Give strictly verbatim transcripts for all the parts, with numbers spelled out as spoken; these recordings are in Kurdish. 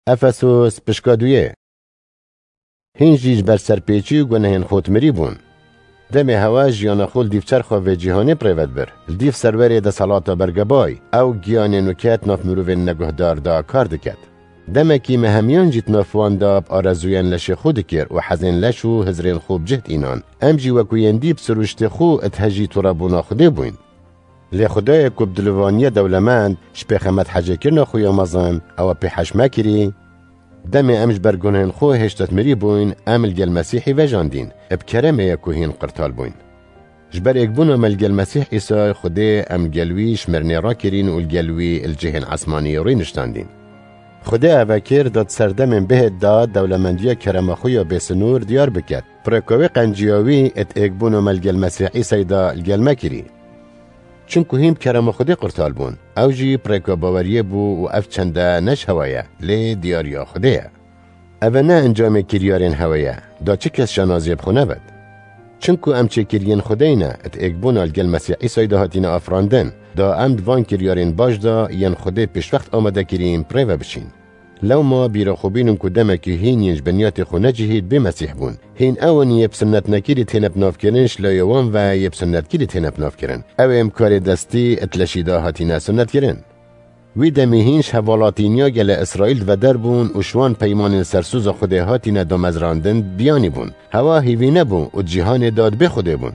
Efesos pişka duyê. Hîn jî ji ber serpêçî û gunehên xwe mirî bûn. Demê hewa jiyana xwe li dîv çerxa vê cîhanê bi rê ve dibir. Li dîv serwerê desthilata bergebay, ew giyanên weke di nav mirovên neguhdar de kar diket. Demekî me hemiyan jî di nav wan de bi arezûyên leşê xwe dikir û hezên leş û hizrên xwe bi cih dînan. Em jî wekû yên dî bi sirûştê xwe id hejî turebûna Xwedê bûyn. Lê Xwedayê ku bi dilivaniya dewlemend ji pêxemet hecêkirina xwe ya mezin ew pê hej mekirî, demê em ji ber gunehên xwe hêşta mirî bûyn, em li gel Mesîhî vejandîn, bi keremê ye ku hîn qirtal bûyn. Ji ber êkbûna me li gel Mesîh Îsay Xwedê em li gel wî ji mirinê rakirîn û li gel wî li cihên esmanî rûniştandîn. Xwedê eve kir da di serdemên bihêt de dewlemendiya kerema xwe ya bêsinûr diyar biket. Pirêka wê qenciya wî id êkbûna me li gel Mesîh Îsay de li gel me kirî. Çimku hîn bi kerema Xwedê qurtal bûn. Ew jî pirêka baweriyê bû û ev çende ne ji hewa ye, lê diyariya Xwedê ye. Eve ne encamê kiryarên hewe ye, da çi kes şanaziyê bi xwe nebet. Çimku em çêkiriyên Xwedê ne, id êkbûna li gel Mesîh Îsay de hatine afirandin, da em di van kiryarên baş de yên Xwedê pêşwext amade kirîn bi rê ve biçîn. Lewma bîra xwe bînin ku demekî hîn yên ji binyatê xwe necihî bi Mesîh bûn. Hîn ew in yê bi sunnet nekirî têne bi navkirin, ji layê wan ve yê bi sunnetkirî têne bi navkirin. Ew ê em karê destî id leşî de hatine sunnetkirin. Wî demî hîn ji hevalatîniya gelê Îsraîl di veder bûn û ji wan peymanên sersûza Xwedê hatine damezrandin biyanî bûn. Hewa hîvî nebû û di cîhanê de di bê Xwedê bûn.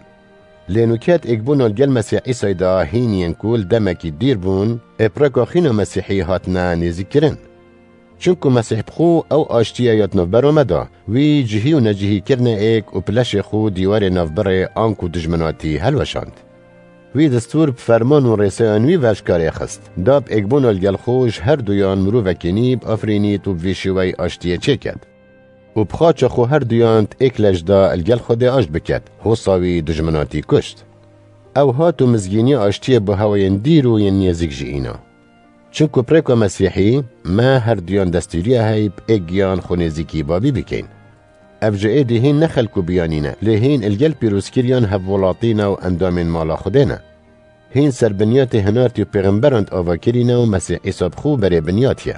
Lê nûket êkbûna li gel Mesîh Îsay de hîn yên ku li demekî dîr bûn, ê pireka xîna Mesîhî hatine nêzîkkirin. Çimku Mesîh bi xwe ew aştiye ya di navbera me de, wî cihî û necihî kirine êk û bi leşê xwe dîwarê navbirê anku dijminatî helweşand. Wî destûr bi ferman û rêseyan wî ve ji karê xist, da bi êkbûna li gel xwe ji her duyan mirovekî nî biafirînît û bi vî şêweyî aştiyê çêket. Û bi xaça xwe her duyan di êk leş de li gel Xwedê aşt biket, hosa wî dijminatî kuşt. Ew hat û mizgîniya aştiyê bo hewayên dîr û yên nêzîk jî îna. Çimku pirêka Mesîhî, me her duyan destûriya heyî bi êk giyan xwe nêzîkî babî bikeyn. Ev ji êdî hîn ne xelk û biyanî ne, lê hîn li gel pîrozkiriyan hevwelatî ne û endamên mala Xwedê ne. Hîn ser binyatê hinartî û pêxemberan di ava kirî ne û Mesîh Îsa bi xwe berê binyatiye.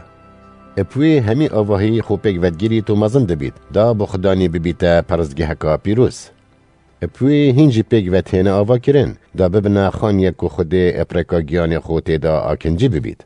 Bi wî hemî avahî xwe pêk vedigirît û mezin dibît, da bo Xudanî bibîte peristgeheka pîroz. Bi wî hîn jî pêk ve têne ava kirin, da bibine xaniyek ku Xwedê ê pireka giyanê xwe tê de akincî bibît.